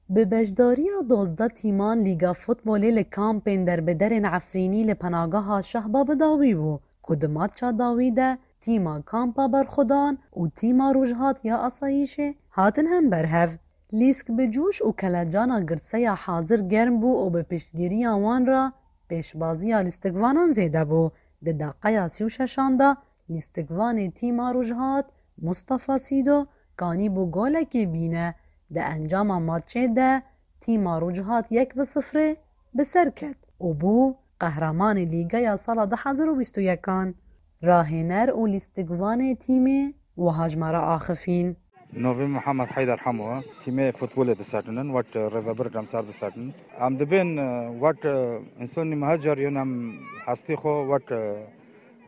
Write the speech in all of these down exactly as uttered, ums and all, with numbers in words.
Bi beşdariya dozdeh tîman Lîga Futbolê li kampên derbiderên Efrînî li penageha Şehba bi dawî bû, ku di matça dawî de tîma Kampa Berxwedan û tîma Rojhat ya Asayîşê hatin hember hev. Lîsk bi coş û kelecana girseya hazir germ bû û bi piştgiriya wan re pêşbaziya lîstikvanan zêde bû. Di deqeya sî û şeşan de lîstikvanê tîma Rojhat, Mustafa Sîdo, kanîbû golekê bîne. Di encama matçê de tîma Rojhat yek bi sifrê bi ser ket û bû qehremanê lîgeya sala du hezar û bîst û yekan. Rahêner û lîstikvanê tîmê wiha ji me re axifîn. Novî Mihemed Heyder Hemo, tîmê futbolê disetinin, wet, e, rêvebir demsar disetinin. Em dibên, e, wet, e, însanî mehecer yên em hestî xwe, wet, e,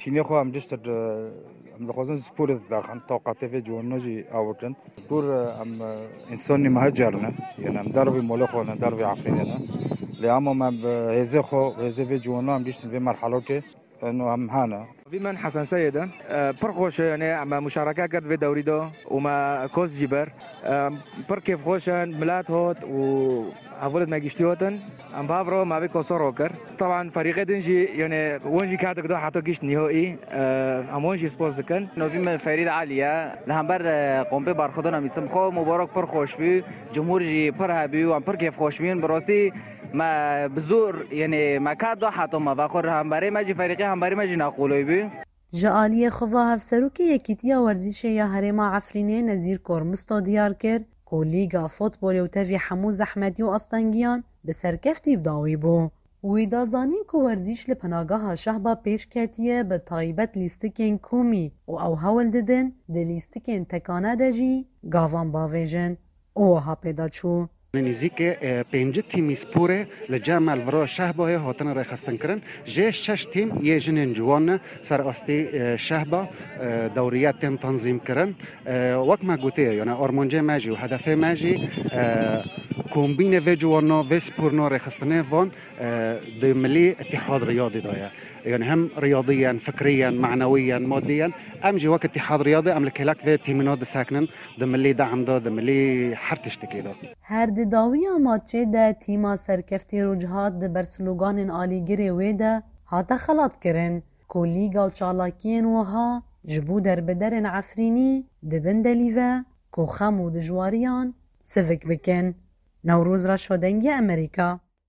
tînê xwe em diştir, e, em dixwazin sporê derxin, taqatê vê ciwanina jî awirtin. Kur, e, em, e, însanî mehecer ne, yên em dervî molê xwe ne, dervî Efrînê ne. Lê hema me bi hêzê xwe, hêzê vê ciwanina em diştin vê merhelokê. Eno em hene. Vî min Hesen Seyid e. E, pir xweş e, yani em muşareke kir vê dewrî de û me koz jî ber. E, pir kêfxweş e, milet hot û hevalêt me giştî hotin. Em bi hev re me vê kosa ro kir. Taban ferîqê din jî, yani wan jî ketik da heta gişt nîhoî. E, em wan jî spas dikin. Novî min Ferîd Alî ye. Li hember, e, kompê Barxudona Mîsim xwe mubarek pir xweş bû. Cumhur jî pir hebû, em pir kêfxweş bûn. Bi rastî me bi zor, yani me ket da heta me vexwe hemberê me jî, ferîqê hemberê me jî neqûloy bû. Ji aliyê xwe ve hevserokê Yekîtiya Werzîşê ya Herêma Efrînê Nezîr Kormisto diyar kir ku Lîga Futbolê û tevî hemû zehmetî û astengiyan bi serkeftî bi dawî bû. Wî da zanîn ku werzîş li penageha Şehba pêş ketiye, bi taybet lîstikên komî û ew hewl didin di lîstikên tekane de jî gavan bavêjin. û wiha pê de çû. Nêzîkê, e, pêncî tîmî sporê li cem me li vira Şehbayê hatine rêxistinkirin. Jê şeş tîm yê jinên ciwan ne ser astî, e, Şehba, e, dewriye tên tanzîmkirin. E, wek me gotiye, yani armancê me jî û hedefê me jî, e, kombînê vê ciwana, vê sporna rêxistinê van, e, di Milî Îtîhad Riyadî de ye. Yani hem riyadiyen, fikriyen, manewiyen, madiyen, em jî wek Îtîhad Riyadî em li kêlek vê tîmîna disekinin. Di milî de'm de, di milî her tiştekê de. Her di dawiya matçê de tîma serkeftî Rojhat di ber sloganên alîgirê wê de hate xelatkirin ku lîga û çalakiyên wiha ji bo derbiderên Efrînî dibin delî ve ku xem û dijwariyan sivik bikin. Newroz Reşo, Dengê Amerîka.